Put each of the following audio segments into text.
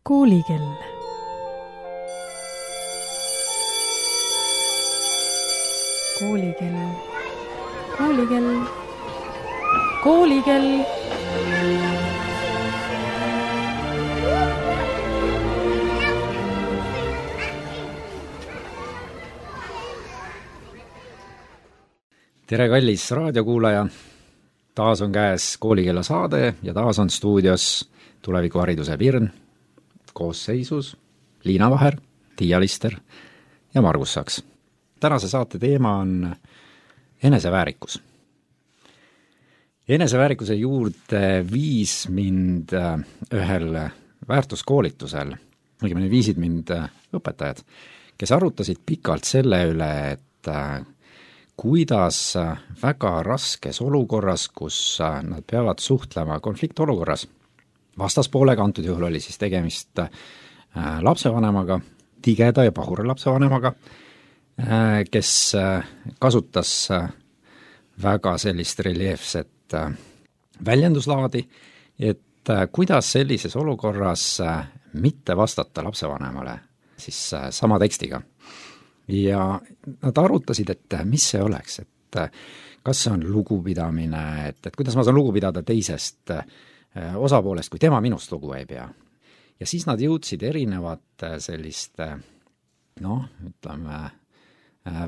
Koolikell. Koolikell. Koolikell. Koolikell. Tere, kallis raadiokuulaja! Taas on käes Koolikella saade ja taas on stuudios tulevikuhariduse Virn, koosseisus Liina Vaher, Tiia Lister ja Margus Saks. Tänase saate teema on eneseväärikus. Eneseväärikuse juurde viis mind ühel väärtuskoolitusel, õigemini viisid mind õpetajad, kes arutasid pikalt selle üle, et kuidas väga raskes olukorras, kus nad peavad suhtlema konfliktolukorras, vastaspoolega, antud juhul oli siis tegemist lapsevanemaga, tigeda ja pahura lapsevanemaga, kes kasutas väga sellist reljeefset väljenduslaadi, et kuidas sellises olukorras mitte vastata lapsevanemale siis sama tekstiga. Ja nad arutasid, et mis see oleks, et kas see on lugupidamine, et kuidas ma saan lugu pidada teisest osapoolest, kui tema minust lugu ei pea. Ja siis nad jõudsid erinevate selliste,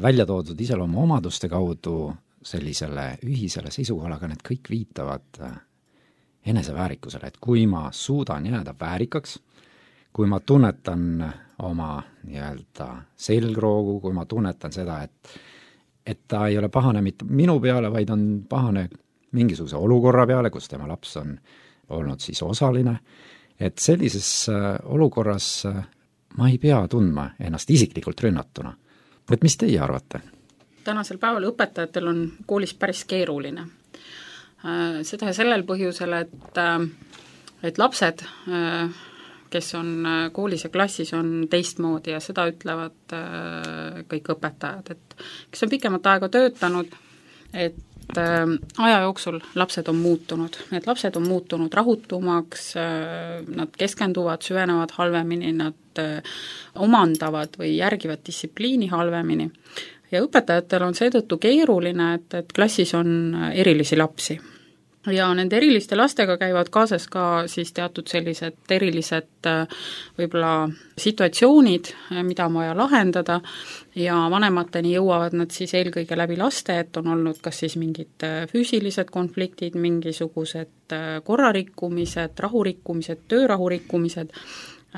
välja toodud iseloomu omaduste kaudu sellisele ühisele seisukohale, aga need kõik viitavad eneseväärikusele, et kui ma suudan jääda väärikaks, kui ma tunnetan oma nii-öelda selgroogu, kui ma tunnetan seda, et ta ei ole pahane mitte minu peale, vaid on pahane mingisuguse olukorra peale, kus tema laps on olnud siis osaline, et sellises olukorras ma ei pea tundma ennast isiklikult rünnatuna. Et mis teie arvate? Tänasel päeval õpetajatel on koolis päris keeruline. Seda sellel põhjusel, et lapsed, kes on koolis ja klassis, on teistmoodi ja seda ütlevad kõik õpetajad, et kes on pikemat aega töötanud, et aja jooksul lapsed on muutunud. Need lapsed on muutunud rahutumaks, nad keskenduvad, süvenevad halvemini, nad omandavad või järgivad distsipliini halvemini. Ja õpetajatel on seetõttu keeruline, et klassis on erilisi lapsi. Ja nende eriliste lastega käivad kaasas ka siis teatud sellised erilised võib-olla situatsioonid, mida on vaja lahendada ja vanemateni jõuavad nad siis eelkõige läbi laste, et on olnud kas siis mingid füüsilised konfliktid, mingisugused korrarikkumised, rahurikkumised, töörahurikkumised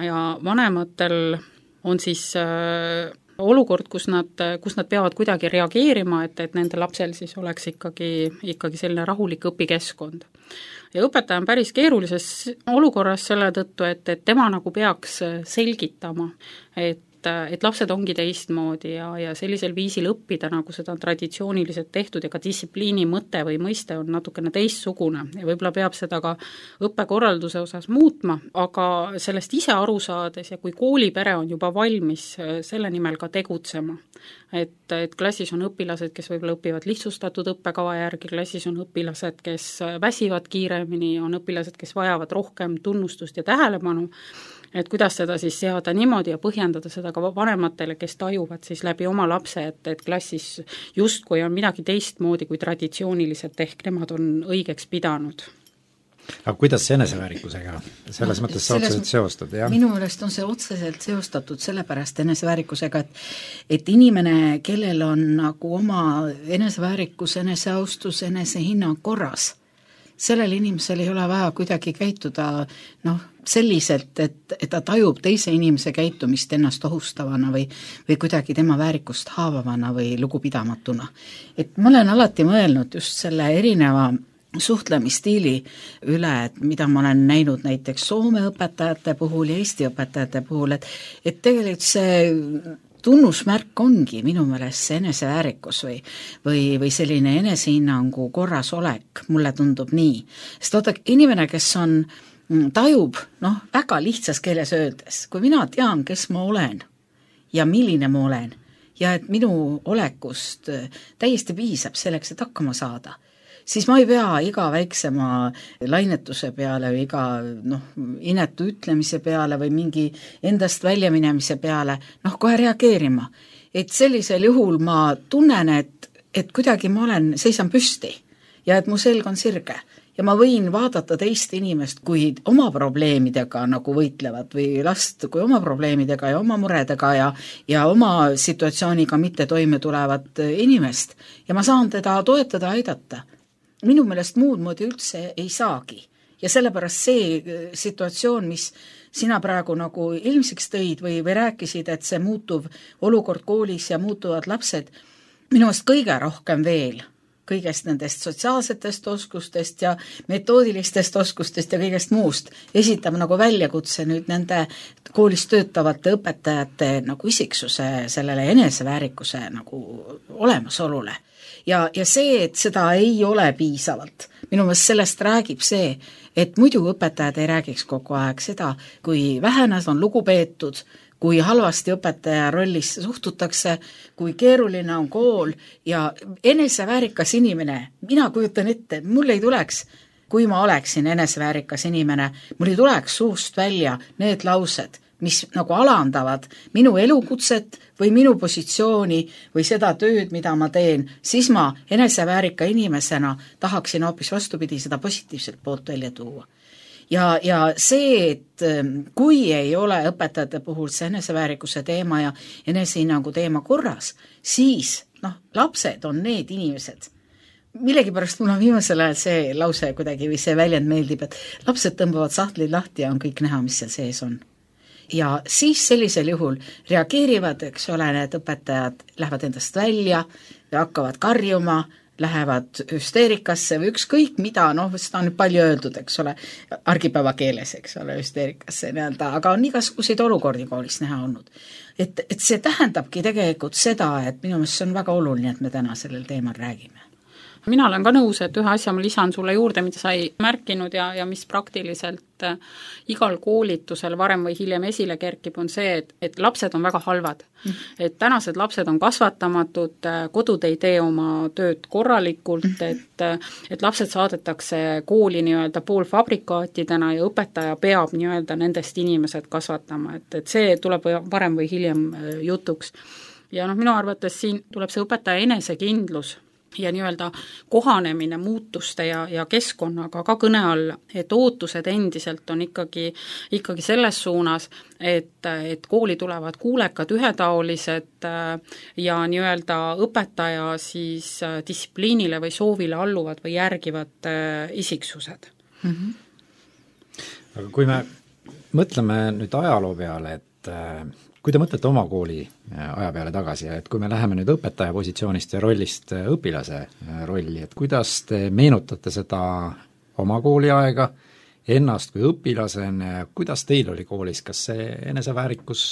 ja vanematel on siis olukord, kus nad peavad kuidagi reageerima, et nende lapsel siis oleks ikkagi selline rahulik õpikeskkond. Ja õpetaja on päris keerulises olukorras selle tõttu, et tema nagu peaks selgitama, et lapsed ongi teistmoodi ja sellisel viisil õppida, nagu seda on traditsiooniliselt tehtud ja ka distsipliini mõte või mõiste on natukene teistsugune ja võib-olla peab seda ka õppekorralduse osas muutma, aga sellest ise aru saades ja kui koolipere on juba valmis selle nimel ka tegutsema, et klassis on õpilased, kes võib-olla õpivad lihtsustatud õppekava järgi, klassis on õpilased, kes väsivad kiiremini, on õpilased, kes vajavad rohkem tunnustust ja tähelepanu, et kuidas seda siis seada niimoodi ja põhjendada seda ka vanematele, kes tajuvad siis läbi oma lapse, et klassis justkui on midagi teistmoodi kui traditsiooniliselt ehk nemad on õigeks pidanud. Aga kuidas see eneseväärikusega selles mõttes sa otseselt seostad? Ja? Minu meelest on see otseselt seostatud sellepärast eneseväärikusega, et inimene, kellel on nagu oma eneseväärikus, eneseaustus, enesehinnang korras, sellel inimesel ei ole vaja kuidagi käituda selliselt, et ta tajub teise inimese käitumist ennast ohustavana või kuidagi tema väärikust haavavana või lugupidamatuna. Et ma olen alati mõelnud just selle erineva suhtlemisstiili üle, et mida ma olen näinud näiteks Soome õpetajate puhul ja Eesti õpetajate puhul, et tegelikult see tunnusmärk ongi minu meelest see eneseväärikus või selline enesehinnangu korrasolek, mulle tundub nii. Sest inimene, kes tajub, väga lihtsas keeles öeldes, kui mina tean, kes ma olen ja milline ma olen ja et minu olekust täiesti piisab selleks, et hakkama saada, siis ma ei pea iga väiksema lainetuse peale või iga inetu ütlemise peale või mingi endast väljaminemise peale kohe reageerima. Et sellisel juhul ma tunnen, et kuidagi ma seisan püsti ja et mu selg on sirge ja ma võin vaadata teist inimest kui oma probleemidega nagu võitlevad või last kui oma probleemidega ja oma muredega ja oma situatsiooniga mitte toime tulevat inimest ja ma saan teda toetada, aidata. Minu meelest muud moodi üldse ei saagi ja sellepärast see situatsioon, mis sina praegu nagu ilmsiks tõid või rääkisid, et see muutuv olukord koolis ja muutuvad lapsed, minu meelest kõige rohkem veel kõigest nendest sotsiaalsetest oskustest ja metoodilistest oskustest ja kõigest muust esitab nagu väljakutse nüüd nende koolis töötavate õpetajate nagu isiksuse sellele eneseväärikuse nagu olemasolule. Ja see, et seda ei ole piisavalt, minu meelest sellest räägib see, et muidu õpetajad ei räägiks kogu aeg seda, kui vähe nad on lugupeetud, kui halvasti õpetaja rollis suhtutakse, kui keeruline on kool ja eneseväärikas inimene, mina kujutan ette, mul ei tuleks, kui ma oleksin eneseväärikas inimene, mul ei tuleks suust välja need laused, mis nagu alandavad minu elukutset või minu positsiooni või seda tööd, mida ma teen, siis ma eneseväärika inimesena tahaksin hoopis vastupidi seda positiivset poolt välja tuua. Ja see, et kui ei ole õpetajate puhul see eneseväärikuse teema ja enesehinnangu teema korras, siis lapsed on need inimesed. Millegipärast mul on viimasel ajal see lause kuidagi või see väljend meeldib, et lapsed tõmbavad sahtlid lahti ja on kõik näha, mis seal sees on. Ja siis sellisel juhul reageerivad, eks ole, need õpetajad lähevad endast välja ja hakkavad karjuma, lähevad hüsteerikasse või ükskõik mida, seda on nüüd palju öeldud, eks ole, argipäeva keeles, eks ole, hüsteerikasse nii-öelda, aga on igasuguseid olukordi koolis näha olnud. Et see tähendabki tegelikult seda, et minu meelest see on väga oluline, et me täna sellel teemal räägime. Mina olen ka nõus, et ühe asja ma lisan sulle juurde, mida sa ei märkinud ja mis praktiliselt igal koolitusel varem või hiljem esile kerkib, on see, et lapsed on väga halvad. Et tänased lapsed on kasvatamatud, kodud ei tee oma tööd korralikult, et lapsed saadetakse kooli nii-öelda poolfabrikaatidena ja õpetaja peab nii-öelda nendest inimesed kasvatama, et see tuleb varem või hiljem jutuks. Ja minu arvates siin tuleb see õpetaja enesekindlus ja nii-öelda kohanemine muutuste ja keskkonnaga ka kõne alla, et ootused endiselt on ikkagi selles suunas, et kooli tulevad kuulekad, ühetaolised ja nii-öelda õpetaja siis distsipliinile või soovile alluvad või järgivad isiksused. Aga kui me mõtleme nüüd ajaloo peale, et kui te mõtlete oma kooli aja peale tagasi, et kui me läheme nüüd õpetaja positsioonist ja rollist õpilase rolli, et kuidas te meenutate seda oma kooliaega, ennast kui õpilasena, kuidas teil oli koolis, kas see eneseväärikus,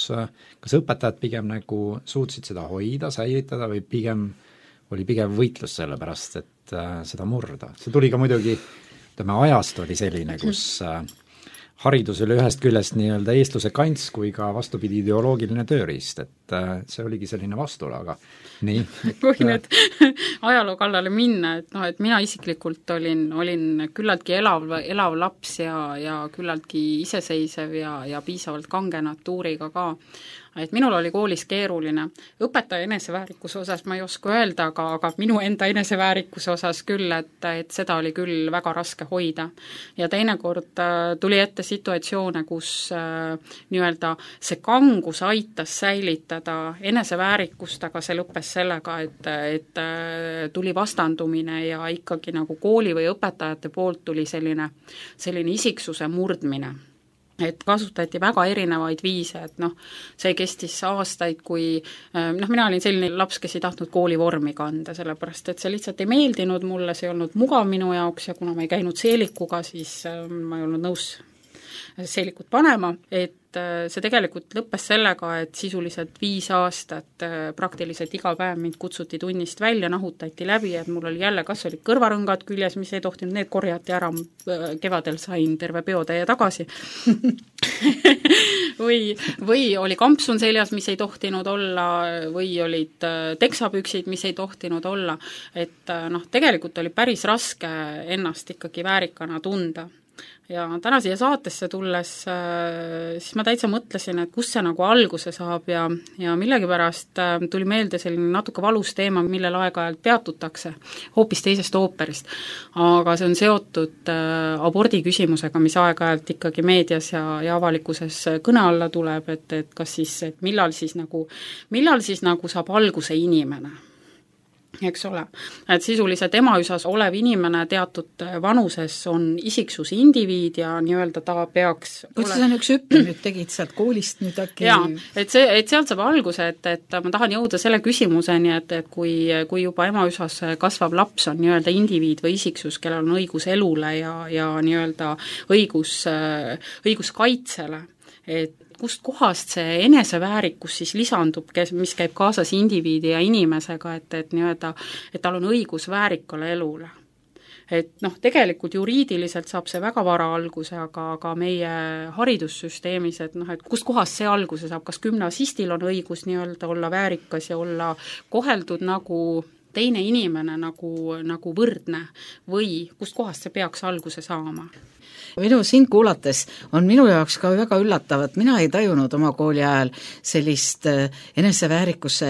kas õpetajad pigem nagu suutsid seda hoida, säilitada või oli pigem võitlus selle pärast, et seda murda? See tuli ka muidugi, ajast oli selline, kus haridus oli ühest küljest nii-öelda eestluse kants kui ka vastupidi ideoloogiline tööriist, et see oligi selline vastuolu, aga nii. Kui nüüd ajaloo kallale minna, et mina isiklikult olin küllaltki elav laps ja küllaltki iseseisev ja piisavalt kange natuuriga ka. Et minul oli koolis keeruline. Õpetaja eneseväärikuse osas ma ei oska öelda, aga minu enda eneseväärikuse osas küll, et seda oli küll väga raske hoida. Ja teinekord tuli ette situatsioone, kus nii-öelda see kangus aitas säilitada eneseväärikust, aga see lõppes sellega, et tuli vastandumine ja ikkagi nagu kooli või õpetajate poolt tuli selline isiksuse murdmine. Et kasutati väga erinevaid viise, et see kestis aastaid, kui mina olin selline laps, kes ei tahtnud koolivormi kanda, sellepärast et see lihtsalt ei meeldinud mulle, see ei olnud mugav minu jaoks ja kuna ma ei käinud seelikuga, siis ma ei olnud nõus seelikut panema, et see tegelikult lõppes sellega, et sisuliselt 5 aastat praktiliselt iga päev mind kutsuti tunnist välja, nahutati läbi, et mul oli jälle kas olid kõrvarõngad küljes, mis ei tohtinud, need korjati ära, kevadel sain terve peotäie tagasi või oli kampsun seljas, mis ei tohtinud olla, või olid teksapüksid, mis ei tohtinud olla, et tegelikult oli päris raske ennast ikkagi väärikana tunda. Ja täna siia saatesse tulles siis ma täitsa mõtlesin, et kus see nagu alguse saab ja millegipärast tuli meelde selline natuke valus teema, millel aeg-ajalt peatutakse hoopis teisest ooperist. Aga see on seotud abordi küsimusega, mis aeg-ajalt ikkagi meedias ja avalikkuses kõne alla tuleb, et kas siis, et millal siis nagu saab alguse inimene. Eks ole, et sisuliselt emaüsas olev inimene teatud vanuses on isiksus indiviid ja nii-öelda ta peaks kuidas sa üks hüppe nüüd tegid sealt koolist nüüd äkki? Jaa, et sealt saab alguse, et ma tahan jõuda selle küsimuseni, et kui juba emaüsas kasvav laps on nii-öelda indiviid või isiksus, kellel on õigus elule ja nii-öelda õigus kaitsele, et kust kohast see eneseväärikus siis lisandub, mis käib kaasas indiviidi ja inimesega, et nii-öelda, et tal on õigus väärikale elule. Et tegelikult juriidiliselt saab see väga vara alguse, aga meie haridussüsteemis, et et kust kohast see alguse saab, kas gümnasistil on õigus nii-öelda olla väärikas ja olla koheldud nagu teine inimene, nagu võrdne või kust kohast see peaks alguse saama? Sind kuulates on minu jaoks ka väga üllatav, et mina ei tajunud oma kooli ajal sellist eneseväärikuse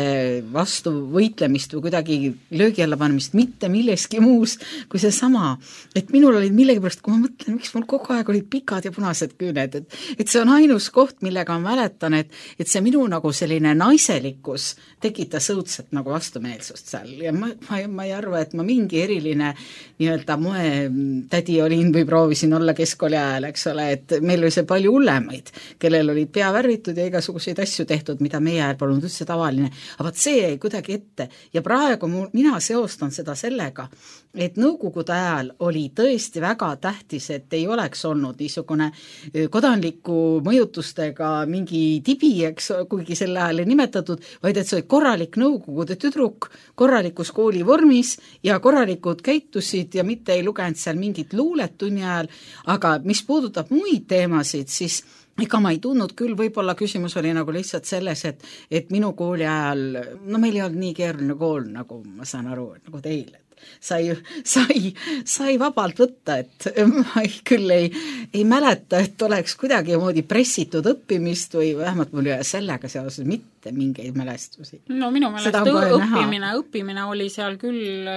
vastu võitlemist või kuidagi löögi alla panemist mitte milleski muus kui see sama, et minul olid millegipärast, kui ma mõtlen, miks mul kogu aeg olid pikad ja punased küüned, et see on ainus koht, millega ma mäletan, et see minu nagu selline naiselikkus tekitas õudselt nagu vastumeelsust seal ja ma ei arva, et ma mingi eriline nii-öelda moetädi olin või proovisin olla keskkooli ajal, eks ole, et meil oli see palju hullemaid, kellel olid pea värvitud ja igasuguseid asju tehtud, mida meie ajal polnud üldse tavaline, aga see jäi kuidagi ette ja praegu mina seostan seda sellega, et nõukogude ajal oli tõesti väga tähtis, et ei oleks olnud niisugune kodanliku mõjutustega mingi tibi, eks, kuigi selle ajal ei nimetatud, vaid et see oli korralik nõukogude tüdruk, korralikus koolivormis ja korralikud käitusid ja mitte ei lugenud seal mingit luulet tunni ajal, aga mis puudutab muid teemasid, siis ega ma ei tundnud küll, võib-olla küsimus oli nagu lihtsalt selles, et minu kooli ajal, meil ei olnud nii keeruline kool, nagu ma saan aru, nagu teil, sai vabalt võtta, et ma küll ei mäleta, et oleks kuidagi moodi pressitud õppimist või vähemalt mul ei ole sellega seoses mitte mingeid mälestusi. No minu meelest õppimine oli seal küll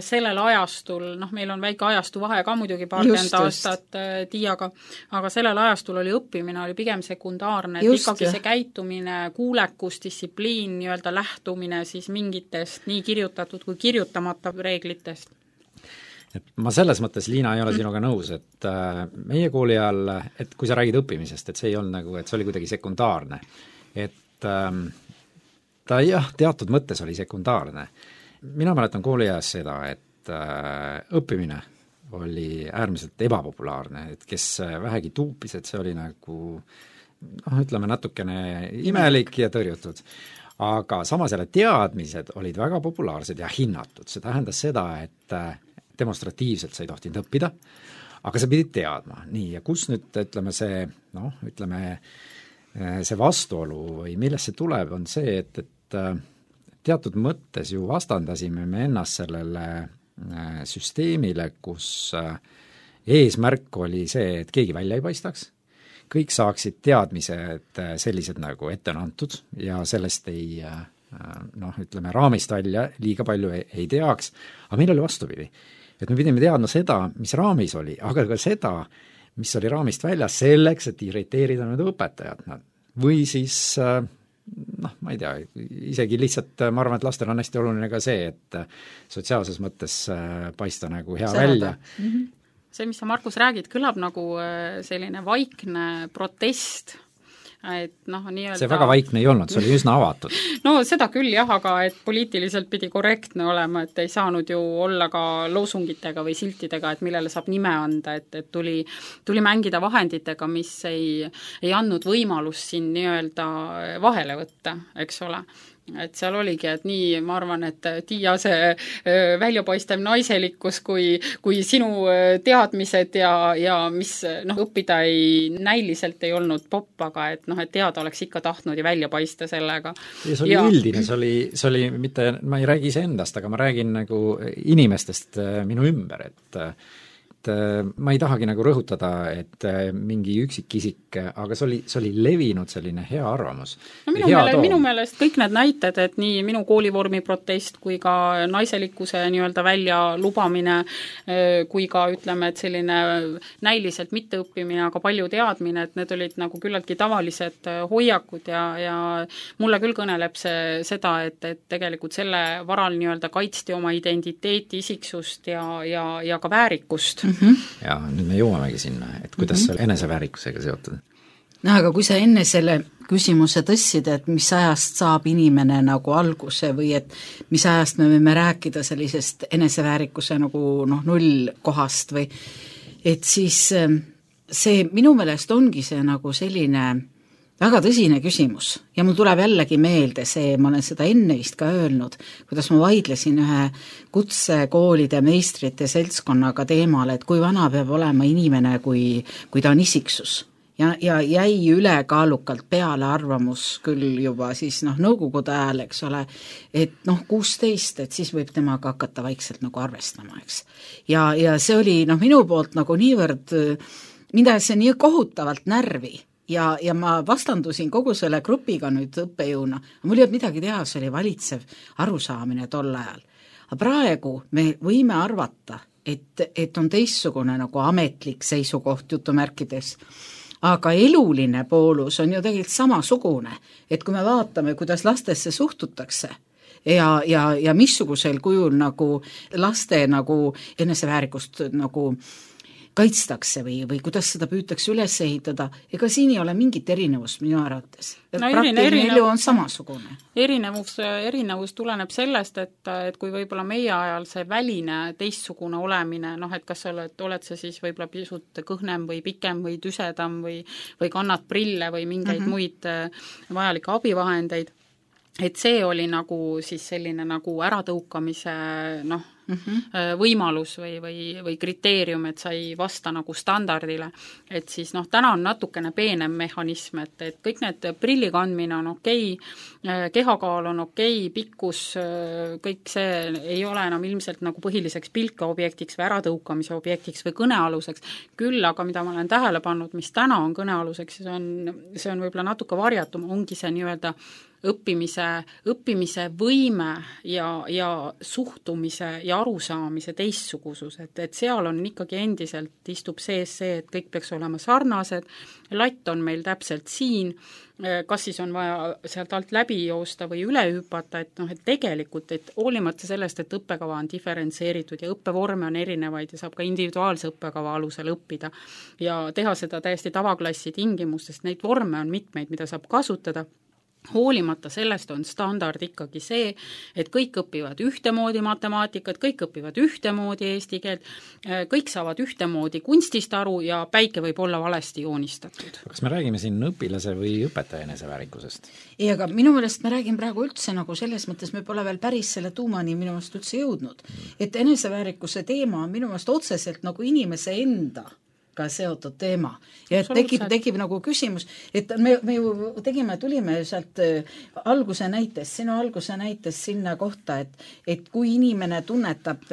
sellel ajastul, meil on väike ajastu vahe ka muidugi paarkümmend aastat Tiiaga, aga sellel ajastul oli õppimine oli pigem sekundaarne, et ikkagi see käitumine, kuulekus, distsipliin, nii-öelda lähtumine siis mingitest nii kirjutatud kui kirjutamata reeglitest. Et ma selles mõttes, Liina, ei ole sinuga nõus, et meie kooli ajal, et kui sa räägid õppimisest, et see ei olnud nagu, et see oli kuidagi sekundaarne. Et ta teatud mõttes oli sekundaarne. Mina mäletan kooli ajast seda, et õppimine oli äärmiselt ebapopulaarne, et kes vähegi tuupis, et see oli nagu ütleme natukene imelik ja tõrjutud. Aga samas jälle teadmised olid väga populaarsed ja hinnatud. See tähendas seda, et demonstratiivselt sa ei tohtinud õppida, aga sa pidid teadma. Nii, ja kus nüüd, see vastuolu või millest see tuleb, on see, et teatud mõttes ju vastandasime me ennast sellele süsteemile, kus eesmärk oli see, et keegi välja ei paistaks, kõik saaksid teadmised sellised nagu ette on antud ja sellest ei raamist välja liiga palju ei teaks, aga meil oli vastupidi. Et me pidime teadma seda, mis raamis oli, aga ka seda, mis oli raamist väljas selleks, et irriteerida need õpetajad. Või siis, ma ei tea, isegi lihtsalt ma arvan, et lastel on hästi oluline ka see, et sotsiaalses mõttes paista nagu hea välja. Mm-hmm. See, mis sa, Markus, räägid, kõlab nagu selline vaikne protest, et nii-öelda see väga vaikne ei olnud, see oli üsna avatud. No seda küll jah, aga et poliitiliselt pidi korrektne olema, et ei saanud ju olla ka loosungitega või siltidega, et millele saab nime anda, et tuli mängida vahenditega, mis ei andnud võimalust siin nii-öelda vahele võtta, eks ole. et seal oligi, et nii, ma arvan, et Tiia see väljapaistev naiselikkus kui sinu teadmised ja mis õppida näiliselt ei olnud popp, aga et et teada oleks ikka tahtnud ja välja paista sellega. Ja see oli üldine, see oli mitte, ma ei räägi iseendast, aga ma räägin nagu inimestest minu ümber, et ma ei tahagi nagu rõhutada, et mingi üksikisik, aga see oli levinud selline hea arvamus. No minu meelest kõik need näited, et nii minu koolivormi protest kui ka naiselikkuse nii-öelda välja lubamine, kui ka ütleme, et selline näiliselt mitteõppimine, aga palju teadmine, et need olid nagu küllaltki tavalised hoiakud ja mulle küll kõneleb seda, et tegelikult selle varal nii-öelda kaitsti oma identiteeti, isiksust ja ka väärikust. Ja nüüd me jõuamegi sinna, et kuidas see eneseväärikusega seotud? No aga kui sa enne selle küsimuse tõssid, et mis ajast saab inimene nagu alguse või et mis ajast me võime rääkida sellisest eneseväärikuse nagu nullkohast või et siis see minu meelest ongi see nagu selline väga tõsine küsimus ja mul tuleb jällegi meelde see, ma olen seda enne vist ka öelnud, kuidas ma vaidlesin ühe kutsekoolide meistrite seltskonnaga teemal, et kui vana peab olema inimene, kui ta on isiksus. Ja jäi ülekaalukalt peale arvamus küll juba siis nõukogude ajal, eks ole, et 16, et siis võib temaga hakata vaikselt nagu arvestama, eks. Ja see oli minu poolt nagu niivõrd, mida see nii kohutavalt närvi, ja ma vastandusin kogu selle grupiga nüüd õppejõuna. Mul ei olnud midagi teha, see oli valitsev arusaamine tol ajal. Aga praegu me võime arvata, et on teistsugune nagu ametlik seisukoht jutumärkides. Aga eluline poolus on ju tegelikult samasugune, et kui me vaatame, kuidas lastesse suhtutakse ja missugusel kujul nagu laste nagu eneseväärikust nagu kaitstakse või kuidas seda püütakse üles ehitada, ega siin ei ole mingit erinevust minu arvates. Praktiline elu on samasugune. Erinevus tuleneb sellest, et kui võib-olla meie ajal see väline teistsugune olemine, et kas oled sa siis võib-olla pisut kõhnem või pikem või tüsedam või kannad prille või mingeid muid vajalikke abivahendeid, et see oli nagu siis selline nagu äratõukamise võimalus või kriteerium, et sa ei vasta nagu standardile, et siis täna on natukene peenem mehhanism, et kõik need prilli kandmine on okei, kehakaal on okei, pikkus, kõik see ei ole enam ilmselt nagu põhiliseks pilkeobjektiks või äratõukamise objektiks või kõnealuseks, küll aga mida ma olen tähele pannud, mis täna on kõnealuseks, see on võib-olla natuke varjatum, ongi see nii-öelda õppimise võime ja suhtumise ja arusaamise teistsugusus, et seal on ikkagi endiselt istub sees see, et kõik peaks olema sarnased, latt on meil täpselt siin, kas siis on vaja sealt alt läbi joosta või üle hüpata, et tegelikult, et hoolimata sellest, et õppekava on diferentseeritud ja õppevorme on erinevaid ja saab ka individuaalse õppekava alusel õppida ja teha seda täiesti tavaklassi tingimustes, neid vorme on mitmeid, mida saab kasutada. Hoolimata sellest on standard ikkagi see, et kõik õpivad ühtemoodi matemaatikat, kõik õpivad ühtemoodi eesti keelt, kõik saavad ühtemoodi kunstist aru ja päike võib olla valesti joonistatud. Kas me räägime siin õpilase või õpetaja eneseväärikusest? Ei, aga minu meelest me räägime praegu üldse nagu selles mõttes, me pole veel päris selle tuumani minu meelest üldse jõudnud. Et eneseväärikuse teema on minu meelest otseselt nagu inimese enda ka seotud teema. Ja tekib nagu küsimus, et me ju tulime sealt sinu alguse näites sinna kohta, et kui inimene tunnetab,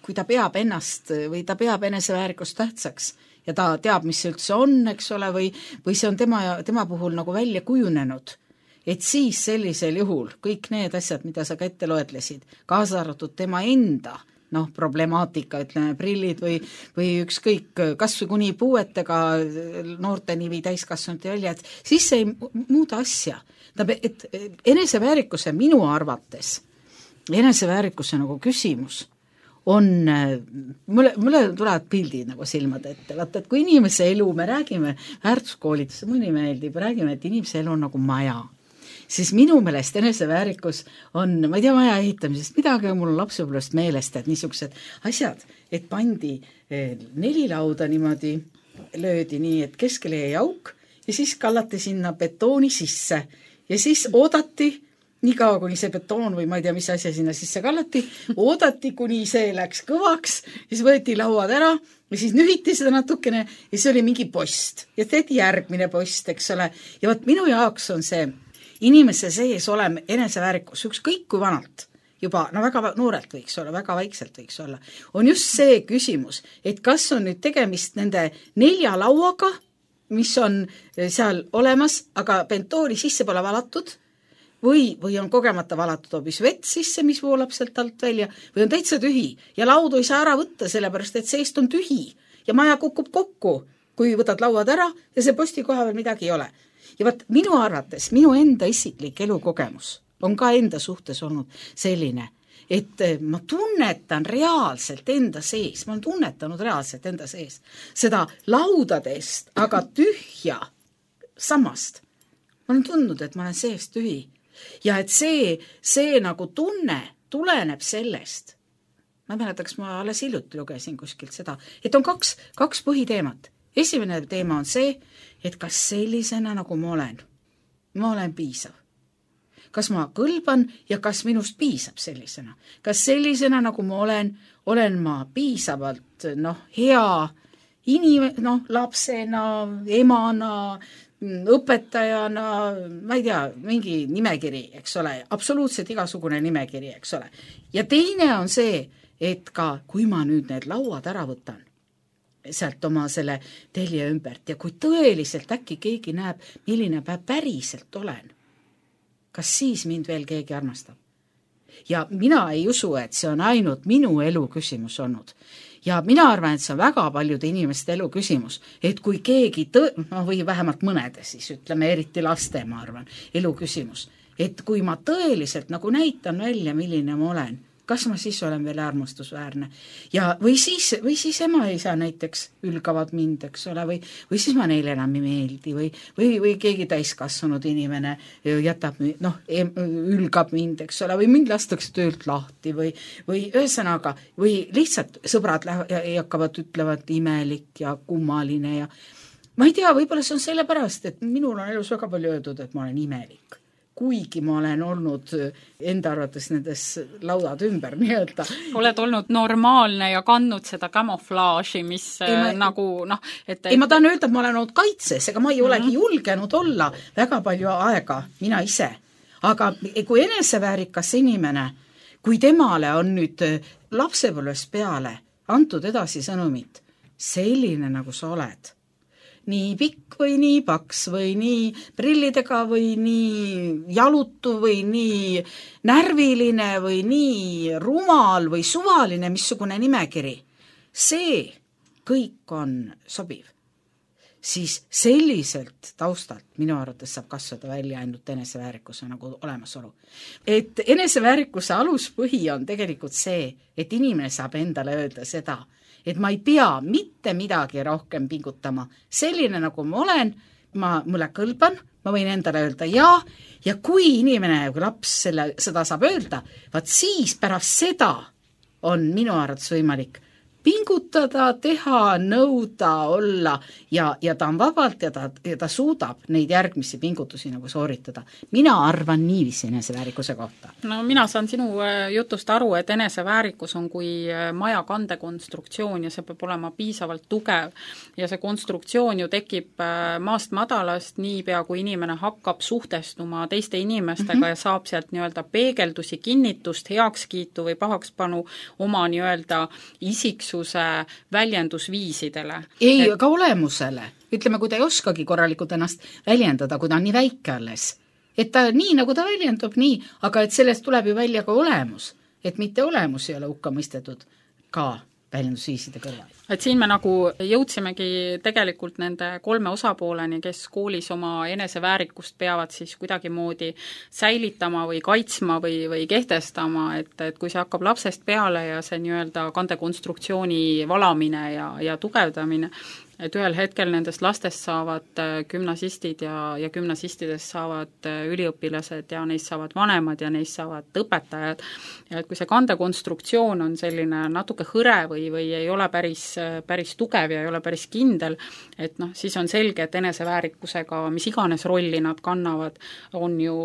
kui ta peab ennast või ta peab eneseväärikust tähtsaks ja ta teab, mis see üldse on, eks ole, või see on tema puhul nagu välja kujunenud, et siis sellisel juhul kõik need asjad, mida sa ka ette loetlesid, kaasa arvatud tema enda problemaatika, ütleme, prillid või ükskõik, kas või kuni puuetega noorteni või täiskasvanute välja, et siis see ei muuda asja. Et eneseväärikuse minu arvates, eneseväärikuse nagu küsimus on, mulle tulevad pildid nagu silmade ette, vaata, et kui inimese elu, me räägime väärtuskoolitus, mõni meeldib, räägime, et inimese elu on nagu maja, siis minu meelest eneseväärikus on, ma ei tea, maja ehitamisest midagi, mul on lapsepõlvest meelest, et niisugused asjad, et pandi 4 lauda niimoodi, löödi nii, et keskele jäi auk ja siis kallati sinna betooni sisse ja siis oodati, nii kaua, kuni see betoon või ma ei tea, mis asja sinna sisse kallati, oodati, kuni see läks kõvaks, siis võeti lauad ära ja siis nühiti seda natukene ja siis oli mingi post ja tehti järgmine post, eks ole. Ja võt minu jaoks on see inimese sees olema eneseväärikus, ükskõik kui vanalt, juba no väga noorelt võiks olla, väga vaikselt võiks olla, on just see küsimus, et kas on nüüd tegemist nende 4 lauaga, mis on seal olemas, aga bentooni sisse pole valatud, või on kogemata valatud hoopis vett sisse, mis voolab sealt alt välja, või on täitsa tühi ja laudu ei saa ära võtta, sellepärast et seest on tühi ja maja kukub kokku, kui võtad lauad ära ja see posti koha veel midagi ei ole. Ja võt, minu arvates, minu enda isiklik elukogemus on ka enda suhtes olnud selline, et ma tunnetan reaalselt enda sees, ma olen tunnetanud reaalselt enda sees seda laudadest, aga tühja sammast. Ma olen tundnud, et ma olen sees tühi. Ja et see nagu tunne tuleneb sellest, ma ei mäleta, kas ma alles hiljuti lugesin kuskilt seda, et on kaks põhiteemat. Esimene teema on see, et kas sellisena nagu ma olen piisav. Kas ma kõlban ja kas minust piisab sellisena. Kas sellisena nagu ma olen ma piisavalt hea lapsena, emana, õpetajana, ma ei tea, mingi nimekiri, eks ole, absoluutselt igasugune nimekiri, eks ole. Ja teine on see, et ka kui ma nüüd need lauad ära võtan sealt oma selle telje ümbert ja kui tõeliselt äkki keegi näeb, milline päriselt olen, kas siis mind veel keegi armastab? Ja mina ei usu, et see on ainult minu elu küsimus olnud. Ja mina arvan, et see on väga paljude inimeste elu küsimus, et kui keegi või vähemalt mõnede siis, ütleme eriti laste, ma arvan, elu küsimus, et kui ma tõeliselt nagu näitan välja, milline ma olen, kas ma siis olen veel armastusväärne ja või siis ema ja isa näiteks ülgavad mind, eks ole, või siis ma neile enam ei meeldi või keegi täiskasvanud inimene jätab, ülgab mind, eks ole, või mind lastakse töölt lahti või ühesõnaga, või lihtsalt sõbrad hakkavad ütlevad imelik ja kummaline ja ma ei tea, võib-olla see on sellepärast, et minul on elus väga palju öeldud, et ma olen imelik. Kuigi ma olen olnud enda arvates nendes laudad ümber nii-öelda. Oled olnud normaalne ja kandnud seda camouflage'i, mis nagu Ei, ma tahan öelda, et ma olen olnud kaitses, ega ma ei olegi julgenud olla väga palju aega, mina ise. Aga kui eneseväärikas inimene, kui temale on nüüd lapsepõlvest peale antud edasi sõnumit, selline nagu sa oled, nii pikk või nii paks või nii prillidega või nii jalutu või nii närviline või nii rumal või suvaline, missugune nimekiri. See kõik on sobiv. Siis selliselt taustalt minu arvates saab kasvada välja ainult eneseväärikuse nagu olemasolu. Et eneseväärikuse aluspõhi on tegelikult see, et inimene saab endale öelda seda, et ma ei pea mitte midagi rohkem pingutama. Selline nagu ma olen, mulle kõlban, ma võin endale öelda ja kui inimene, kui laps seda saab öelda, vaat siis pärast seda on minu arvates võimalik pingutada, teha, nõuda, olla ja ta on vabalt ja ta suudab neid järgmisi pingutusi nagu sooritada. Mina arvan niiviisi eneseväärikuse kohta. No mina saan sinu jutust aru, et eneseväärikus on kui maja kandekonstruktsioon ja see peab olema piisavalt tugev ja see konstruktsioon ju tekib maast madalast niipea, kui inimene hakkab suhtestuma teiste inimestega ja saab sealt nii-öelda peegeldusi, kinnitust, heakskiitu või pahakspanu oma nii-öelda väljendusviisidele. Ei, ka olemusele. Ütleme, kui ta ei oskagi korralikult ennast väljendada, kui ta on nii väike alles. Et ta nii, nagu ta väljendub, nii, aga et sellest tuleb ju välja ka olemus. Et mitte olemus ei ole hukka mõistetud ka väljendusviiside kõrval. Et siin me nagu jõudsimegi tegelikult nende 3 osapooleni, kes koolis oma eneseväärikust peavad siis kuidagimoodi säilitama või kaitsma või kehtestama, et kui see hakkab lapsest peale ja see nii-öelda kandekonstruktsiooni valamine ja tugevdamine, et ühel hetkel nendest lastest saavad gümnasistid ja gümnasistidest saavad üliõpilased ja neist saavad vanemad ja neist saavad õpetajad. Ja et kui see kandekonstruktsioon on selline natuke hõre või ei ole päris päris tugev ja ei ole päris kindel, et noh, siis on selge, et eneseväärikusega mis iganes rolli nad kannavad, on ju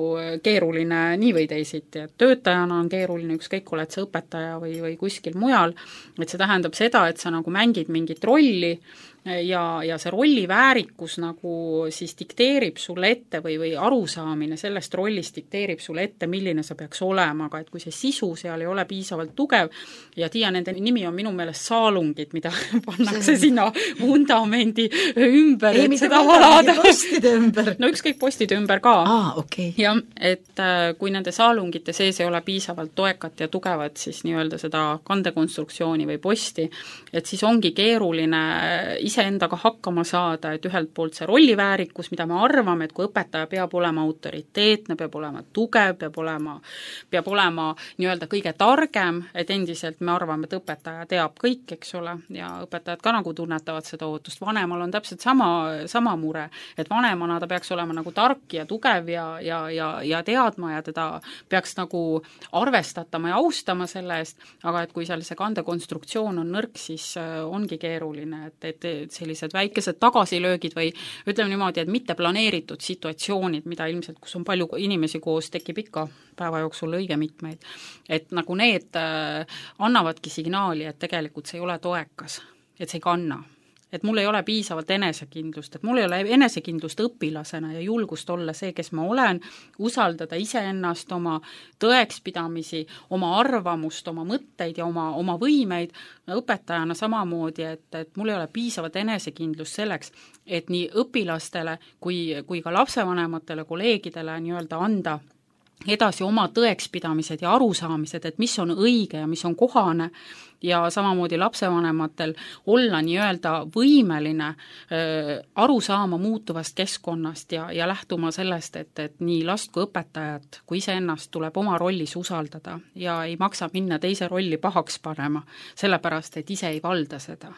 keeruline nii või teisiti, et töötajana on keeruline, ükskõik oled sa õpetaja või kuskil mujal, et see tähendab seda, et sa nagu mängid mingit rolli ja see rolli väärikus nagu siis dikteerib sulle ette või arusaamine sellest rollist dikteerib sulle ette, milline see peaks olema, aga et kui see sisu seal ei ole piisavalt tugev ja Tiia, nende nimi on minu meelest saalungid, mida pannakse sinna vundamendi ümber, ei, et seda valada. Postide ümber. No ükskõik postide ümber ka. Okay. Jah, et kui nende saalungite sees ei ole piisavalt toekat ja tugevat siis nii-öelda seda kandekonstruktsiooni või posti, et siis ongi keeruline iseendaga hakkama saada, et ühelt poolt see rolliväärikus, mida me arvame, et kui õpetaja peab olema autoriteetne, peab olema tugev, peab olema nii-öelda kõige targem, et endiselt me arvame, et õpetaja teab kõik, eks ole, ja õpetajad ka nagu tunnetavad seda ootust. Vanemal on täpselt sama mure, et vanemana ta peaks olema nagu tark ja tugev ja teadma ja teda peaks nagu arvestatama ja austama selle eest, aga et kui seal see kandekonstruktsioon on nõrk, siis ongi keeruline, et sellised väikesed tagasilöögid või ütleme niimoodi, et mitte planeeritud situatsioonid, mida ilmselt, kus on palju inimesi koos, tekib ikka päeva jooksul õige mitmeid, et nagu need annavadki signaali, et tegelikult see ei ole toekas, et see ei kanna. Et mul ei ole piisavalt enesekindlust, et mul ei ole enesekindlust õpilasena ja julgust olla see, kes ma olen, usaldada iseennast, oma tõekspidamisi, oma arvamust, oma mõtteid ja oma võimeid, õpetajana samamoodi, et mul ei ole piisavalt enesekindlust selleks, et nii õpilastele kui ka lapsevanematele, kolleegidele nii-öelda anda edasi oma tõekspidamised ja arusaamised, et mis on õige ja mis on kohane ja samamoodi lapsevanematel olla nii-öelda võimeline aru saama muutuvast keskkonnast ja lähtuma sellest, et nii last kui õpetajat kui iseennast tuleb oma rollis usaldada ja ei maksa minna teise rolli pahaks panema, sellepärast et ise ei valda seda.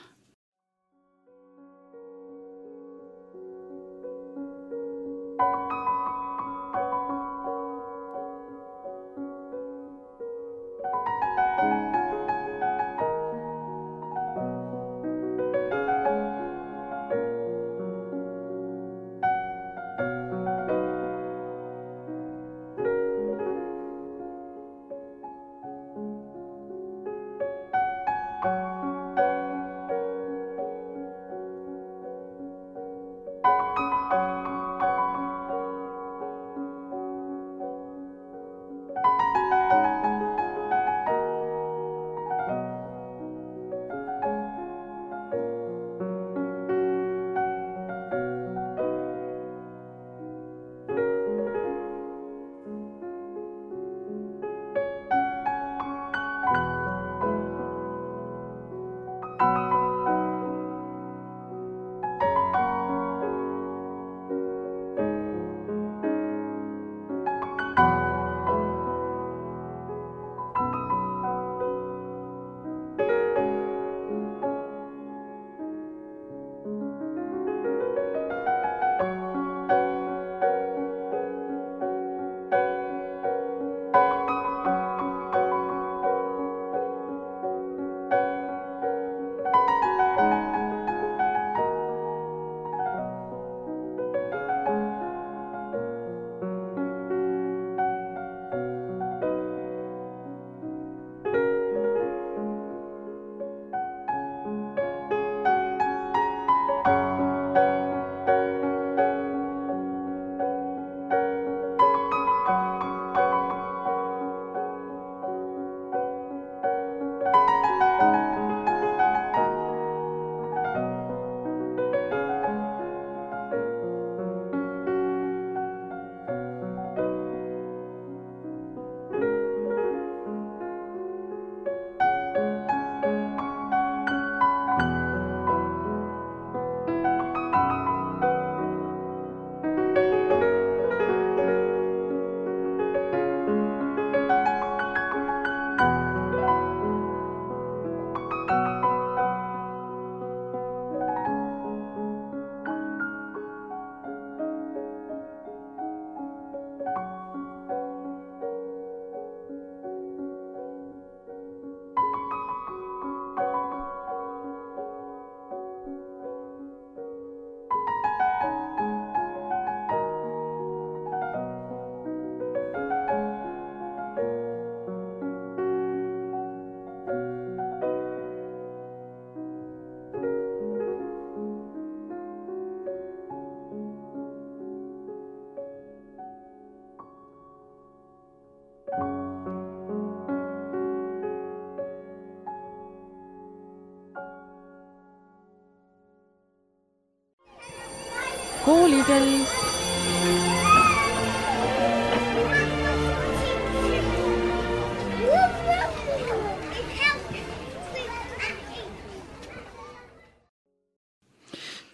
koolikel.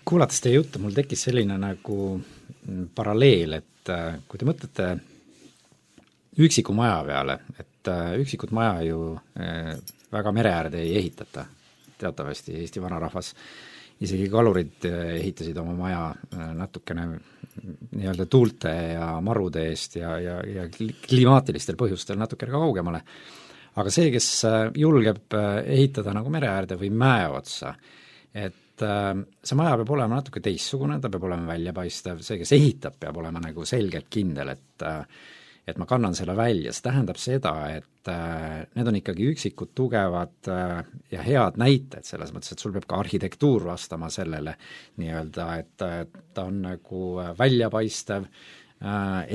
Kuulates teie juttu, mul tekkis selline nagu paralleel, et kui te mõtlete üksiku maja peale, et üksikut maja ju väga mere äärde ei ehitata. Teatavasti Eesti vanarahvas, isegi kalurid ehitasid oma maja natukene nii-öelda tuulte ja marude eest ja klimaatilistel põhjustel natukene kaugemale. Aga see, kes julgeb ehitada nagu mere äärde või mäe otsa, et see maja peab olema natuke teissugune, ta peab olema väljapaistev, see, kes ehitab, peab olema nagu selgelt kindel, et ma kannan selle välja, see tähendab seda, et need on ikkagi üksikud, tugevad ja head näited, selles mõttes, et sul peab ka arhitektuur vastama sellele nii-öelda, et ta on nagu väljapaistev,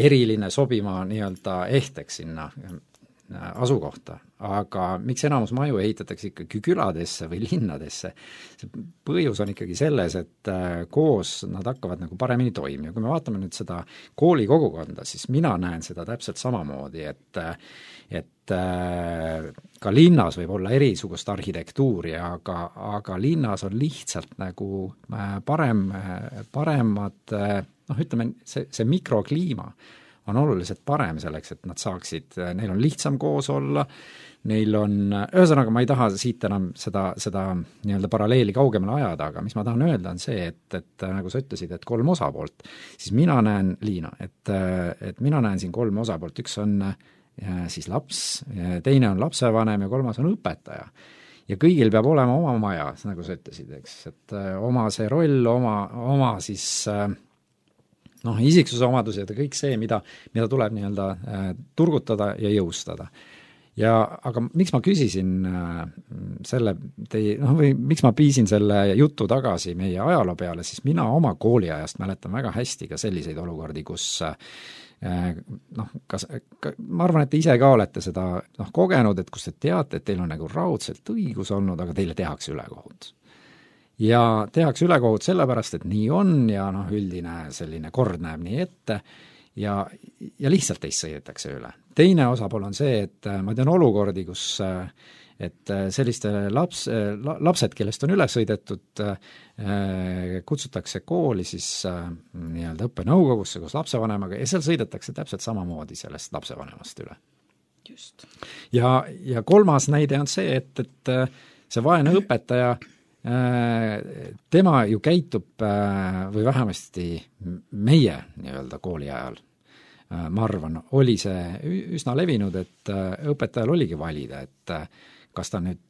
eriline, sobima nii-öelda ehteks sinna asukohta, aga miks enamus maju ehitatakse ikkagi küladesse või linnadesse? See põhjus on ikkagi selles, et koos nad hakkavad nagu paremini toimima. Kui me vaatame nüüd seda kooli kogukonda, siis mina näen seda täpselt samamoodi, et ka linnas võib olla erisugust arhitektuuri, aga linnas on lihtsalt nagu paremad, ütleme, see mikrokliima on oluliselt parem selleks, et nad saaksid, neil on lihtsam koos olla, neil on, ühesõnaga ma ei taha siit enam seda nii-öelda paralleeli kaugemale ajada, aga mis ma tahan öelda on see, et nagu sa ütlesid, et 3 osapoolt, siis mina näen, Liina, et mina näen siin 3 osapoolt, üks on siis laps, teine on lapsevanem ja 3. on õpetaja. Ja kõigil peab olema oma maja, nagu sa ütlesid, eks, et oma see roll, oma siis isiksuse omadused ja kõik see, mida tuleb nii-öelda turgutada ja jõustada. Aga miks ma küsisin või miks ma piisin selle jutu tagasi meie ajaloo peale, siis mina oma kooliajast mäletan väga hästi ka selliseid olukordi, kus ma arvan, et te ise ka olete seda kogenud, et kus te teate, et teil on nagu raudselt õigus olnud, aga teile tehakse ülekohut. Ja tehakse ülekohut sellepärast, et nii on ja üldine selline kord näeb nii ette ja lihtsalt teist sõidetakse üle. Teine osapool on see, et ma tean olukordi, kus et selliste lapsed, kellest on üle sõidetud, kutsutakse kooli siis nii-öelda õppenõukogusse koos lapsevanemaga ja seal sõidetakse täpselt samamoodi sellest lapsevanemast üle. Just. Ja 3. näide on see, et see vaene õpetaja tema ju käitub või vähemasti meie nii-öelda kooli ajal, ma arvan, oli see üsna levinud, et õpetajal oligi valida, et kas ta nüüd,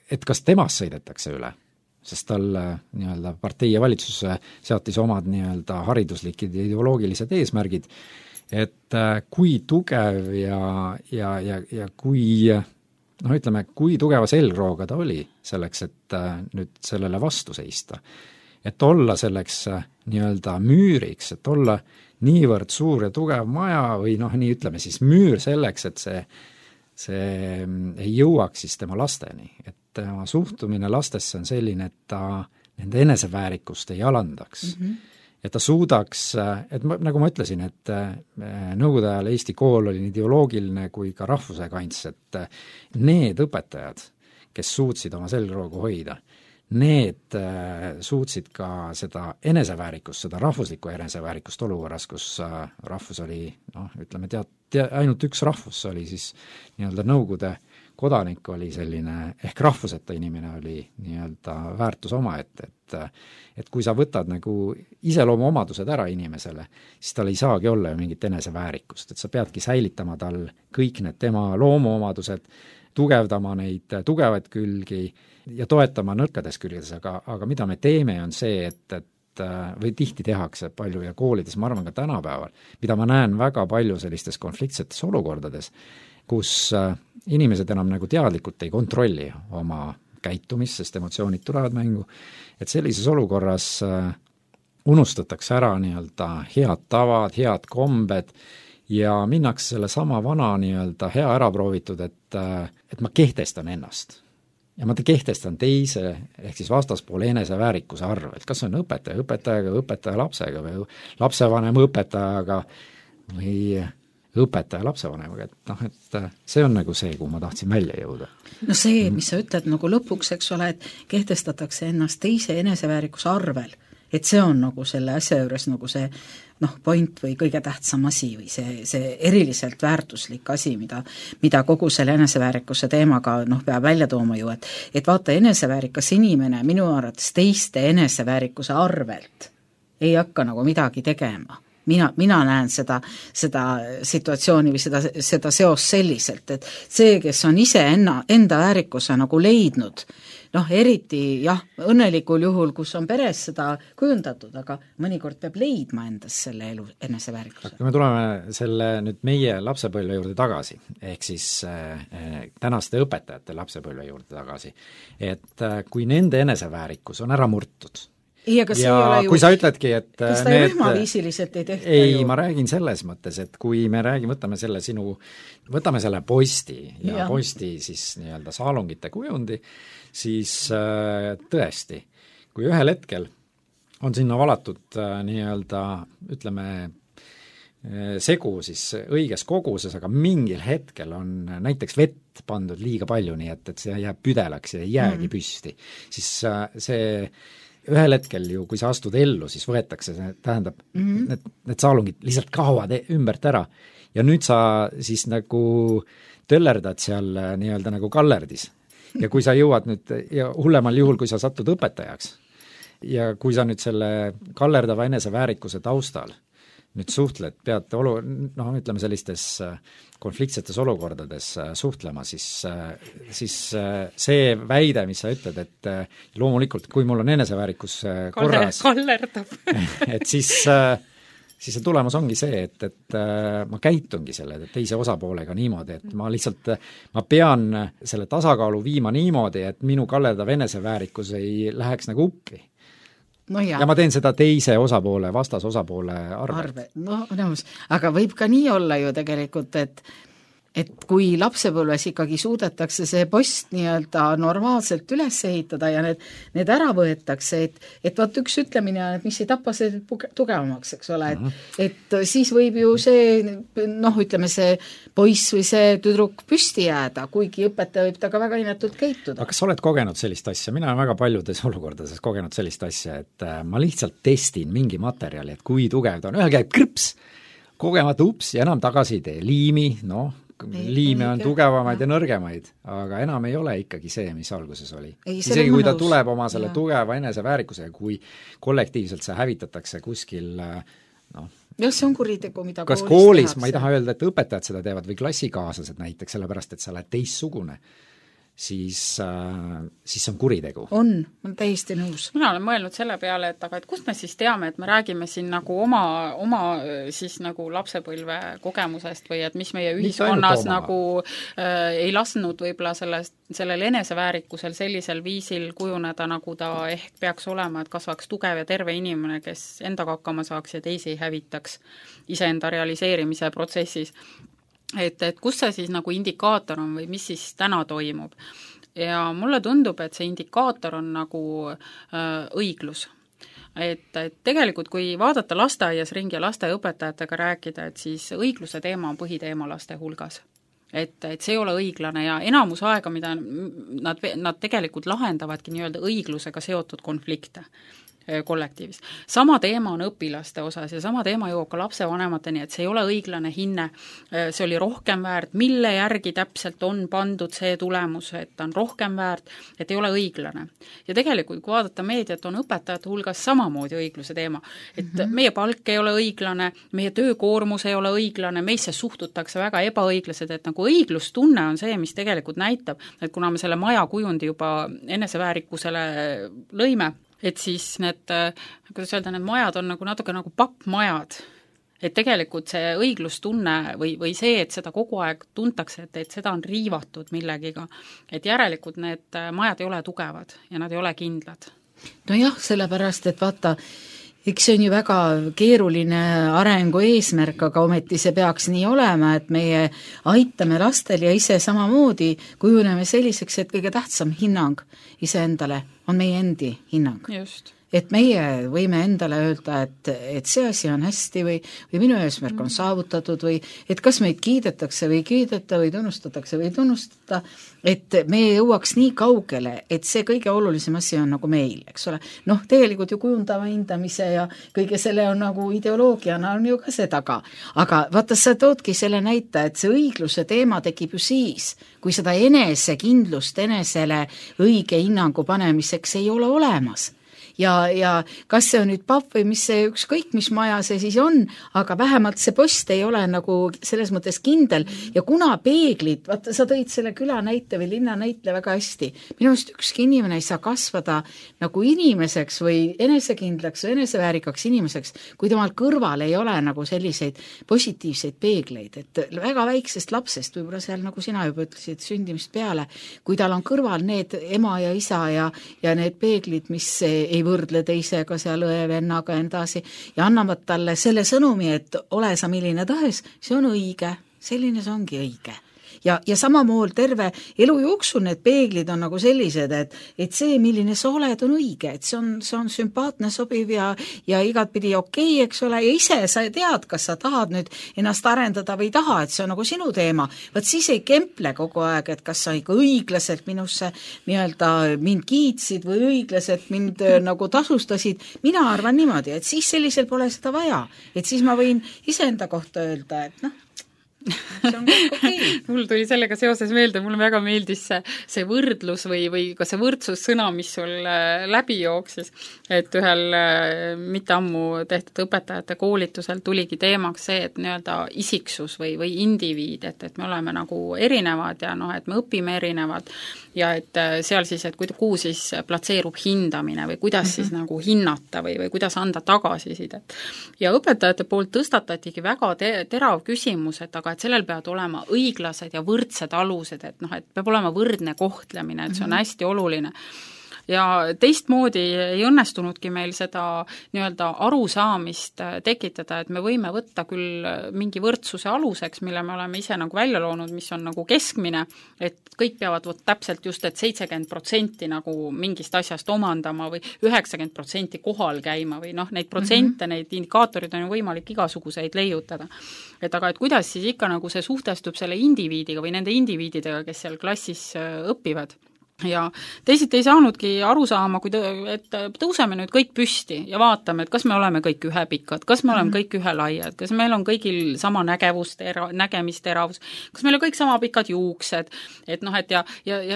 et kas temast sõidetakse üle, sest tal nii-öelda partei ja valitsus seatis omad nii-öelda hariduslikid ja ideoloogilised eesmärgid, et kui tugev ja kui ütleme, kui tugeva selgrooga ta oli selleks, et nüüd sellele vastu seista. Et olla selleks nii-öelda müüriks, et olla niivõrd suur ja tugev maja või nii ütleme siis müür selleks, et see ei jõuaks siis tema lasteni. Et tema suhtumine lastesse on selline, et ta nende eneseväärikust ei alandaks. Et ta suudaks, et nagu ma ütlesin, et nõukogude ajal Eesti kool oli nii ideoloogiline kui ka rahvuse kants, et need õpetajad, kes suutsid oma selgroogu hoida, need suutsid ka seda eneseväärikust, seda rahvuslikku eneseväärikust olukorras, kus rahvus oli, ütleme, ainult üks rahvus oli siis nii-öelda nõukogude kodanik oli selline, ehk rahvuseta inimene oli nii-öelda väärtus omaette, et kui sa võtad nagu iseloomu omadused ära inimesele, siis tal ei saagi olla ju mingit eneseväärikust, et sa peadki säilitama tal kõik need tema loomuomadused, tugevdama neid tugevaid külgi ja toetama nõrkades külgedes, aga mida me teeme, on see, et või tihti tehakse palju ja koolides, ma arvan ka tänapäeval, mida ma näen väga palju sellistes konfliktsetes olukordades, kus inimesed enam nagu teadlikult ei kontrolli oma käitumist, sest emotsioonid tulevad mängu, et sellises olukorras unustatakse ära nii-öelda head tavad, head kombed ja minnakse selle sama vana nii-öelda hea ära proovitud, et ma kehtestan ennast. ja ma kehtestan teise, ehk siis vastaspoole eneseväärikuse arvelt, kas on õpetajaga, õpetaja lapsega või lapsevanem õpetajaga või õpetaja lapsevanemaga, et see on nagu see, kuhu ma tahtsin välja jõuda. No see, mis sa ütled nagu lõpuks, eks ole, et kehtestatakse ennast teise eneseväärikuse arvel, et see on nagu selle asja juures nagu see point või kõige tähtsam asi või see eriliselt väärtuslik asi, mida kogu selle eneseväärikuse teemaga peab välja tooma ju, et vaata, eneseväärikas inimene minu arvates teiste eneseväärikuse arvelt ei hakka nagu midagi tegema. Mina näen seda situatsiooni või seda seost selliselt, et see, kes on ise enda väärikuse nagu leidnud, eriti jah, õnnelikul juhul, kus on peres seda kujundatud, aga mõnikord peab leidma endas selle elu eneseväärikuse. Kui me tuleme selle nüüd meie lapsepõlve juurde tagasi, ehk siis tänaste õpetajate lapsepõlve juurde tagasi, et kui nende eneseväärikus on ära murtud, ja kui sa ütledki, et kas ta rühmaviisiliselt ei tehta ei, ma räägin selles mõttes, et kui me võtame selle posti ja posti siis nii-öelda saalungite kujundi, siis tõesti, kui ühel hetkel on sinna valatud nii-öelda, ütleme, segu siis õiges koguses, aga mingil hetkel on näiteks vett pandud liiga palju, nii et see jääb püdelaks ja ei jäägi püsti, siis see ühel hetkel ju, kui sa astud ellu, siis võetakse, tähendab, need saalungid lihtsalt kaovad ümbert ära ja nüüd sa siis nagu töllerdad seal nii-öelda nagu kallerdis ja kui sa jõuad nüüd, ja hullemal juhul, kui sa satud õpetajaks ja kui sa nüüd selle kallerdava eneseväärikuse taustal nüüd suhtled, pead ütleme sellistes konfliktsetes olukordades suhtlema, siis see väide, mis sa ütled, et loomulikult, kui mul on eneseväärikus korras, et siis see tulemus ongi see, et ma käitungi selle teise osapoolega niimoodi, et ma pean selle tasakaalu viima niimoodi, et minu kallerdav eneseväärikus ei läheks nagu uppi. Ja ma teen seda teise osapoole, vastasosapoole arvelt. Aga võib ka nii olla ju tegelikult, et kui lapsepõlves ikkagi suudetakse see post nii-öelda normaalselt üles ehitada ja need ära võetakse, et vaat üks ütlemine on, et mis ei tapa see tugevamaks, eks ole, et siis võib ju see, ütleme see poiss või see tüdruk püsti jääda, kuigi õpetaja võib taga väga inetult käituda. Aga kas sa oled kogenud sellist asja? Mina olen väga paljudes olukordades kogenud sellist asja, et ma lihtsalt testin mingi materjali, et kui tugev ta on, ühel käib krõps, kogemata ups ja enam tagasi ei tee, liimi, liime on tugevamaid ja nõrgemaid, aga enam ei ole ikkagi see, mis alguses oli. Isegi kui ta tuleb oma selle tugeva eneseväärikuse, kui kollektiivselt see hävitatakse kuskil see on kuritegu, mida kas koolis, ma ei taha öelda, et õpetajad seda teevad või klassikaaslased näiteks, sellepärast et sa oled teistsugune, siis on kuritegu. On täiesti nõus. Mina olen mõelnud selle peale, et kust me siis teame, et me räägime siin nagu oma siis nagu lapsepõlve kogemusest või et mis meie ühiskonnas nagu ei lasknud võib-olla sellel eneseväärikusel sellisel viisil kujuneda, nagu ta ehk peaks olema, et kasvaks tugev ja terve inimene, kes endaga hakkama saaks ja teisi ei hävitaks iseenda realiseerimise protsessis. Et kus see siis nagu indikaator on või mis siis täna toimub. Ja mulle tundub, et see indikaator on nagu õiglus. Et tegelikult, kui vaadata lasteaias ringi ja lasteaiaõpetajatega rääkida, et siis õigluse teema on põhiteema laste hulgas. Et see ei ole õiglane ja enamus aega, mida nad tegelikult lahendavadki nii-öelda õiglusega seotud konflikte kollektiivis. Sama teema on õpilaste osas ja sama teema jõuab ka lapsevanemateni, et see ei ole õiglane hinne, see oli rohkem väärt, mille järgi täpselt on pandud see tulemus, et on rohkem väärt, et ei ole õiglane. Ja tegelikult, kui vaadata meediat, on õpetajate hulgas samamoodi õigluse teema, et meie palk ei ole õiglane, meie töökoormus ei ole õiglane, meisse suhtutakse väga ebaõiglased, et nagu õiglustunne on see, mis tegelikult näitab, et kuna me selle maja kujundi juba eneseväärikusele lõime, et siis need majad on natuke nagu pappmajad, et tegelikult see õiglustunne või see, et seda kogu aeg tuntakse, et seda on riivatud millegiga, et järelikult need majad ei ole tugevad ja nad ei ole kindlad. Nojah, sellepärast, et vaata, eks see on ju väga keeruline arengu eesmärk, aga ometi see peaks nii olema, et meie aitame lastel ja ise samamoodi kujuneme selliseks, et kõige tähtsam hinnang iseendale on meie endi hinnang. Just. Et meie võime endale öelda, et see asi on hästi või minu eesmärk on saavutatud või et kas meid kiidetakse või kiideta või tunnustatakse või tunnustada, et me jõuaks nii kaugele, et see kõige olulisem asi on nagu meil, eks ole. Noh, tegelikult ju kujundava hindamise ja kõige selle on nagu ideoloogiana on ju ka see taga. Aga vaata, sa toodki selle näita, et see õigluse teema tekib ju siis, kui seda enesekindlust enesele õige hinnangu panemiseks ei ole olemas. Ja kas see on nüüd papp või mis see ükskõik, mis maja see siis on, aga vähemalt see post ei ole nagu selles mõttes kindel ja kuna peeglid, vaata, sa tõid selle küla näite või linna näitle väga hästi, minu arust ükski inimene ei saa kasvada nagu inimeseks või enesekindlaks või eneseväärikaks inimeseks, kui temal kõrval ei ole nagu selliseid positiivseid peegleid, et väga väiksest lapsest, võib-olla seal nagu sina juba ütlesid, sündimist peale, kui tal on kõrval need ema ja isa ja need peeglid, mis ei võrdle teisega seal õe-vennaga endasi ja annavad talle selle sõnumi, et ole sa milline tahes, see on õige, selline see ongi õige. Ja samamoodi terve elu jooksul need peeglid on nagu sellised, et see, milline sa oled, on õige, et see on sümpaatne, sobiv ja igatpidi okei, eks ole, ja ise sa tead, kas sa tahad nüüd ennast arendada või taha, et see on nagu sinu teema. Vaat siis ei kemple kogu aeg, et kas sa ikka õiglaselt minusse nii-öelda mind kiitsid või õiglaselt mind nagu tasustasid. Mina arvan niimoodi, et siis sellisel pole seda vaja, et siis ma võin iseenda kohta öelda, et noh, see on kõik okei. Mul tuli sellega seoses meelde, mulle väga meeldis see võrdlus või ka see võrdsussõna, mis sul läbi jooksis, et ühel mitte ammu tehtud õpetajate koolitusel tuligi teemaks see, et nii-öelda isiksus või indiviid, et me oleme nagu erinevad ja noh, et me õpime erinevad ja et seal siis, et kuhu siis platseerub hindamine või kuidas siis nagu hinnata või kuidas anda tagasisidet. Ja õpetajate poolt tõstatatigi väga terav küsimus, et aga et sellel peavad olema õiglased ja võrdsed alused, et noh, et peab olema võrdne kohtlemine, et see on hästi oluline. Ja teistmoodi ei õnnestunudki meil seda nii-öelda arusaamist tekitada, et me võime võtta küll mingi võrdsuse aluseks, mille me oleme ise nagu välja loonud, mis on nagu keskmine, et kõik peavad täpselt just, et 70% nagu mingist asjast omandama või 90% kohal käima või noh, neid protsente, neid indikaatorid on ju võimalik igasuguseid leiutada. Et aga et kuidas siis ikka nagu see suhtestub selle indiviidiga või nende indiviididega, kes seal klassis õpivad. Ja teisiti ei saanudki aru saama, et tõuseme nüüd kõik püsti ja vaatame, et kas me oleme kõik ühepikad, kas me oleme kõik ühelaiad, kas meil on kõigil sama nägemisteravus, kas meil on kõik sama pikad juuksed, et noh, et ja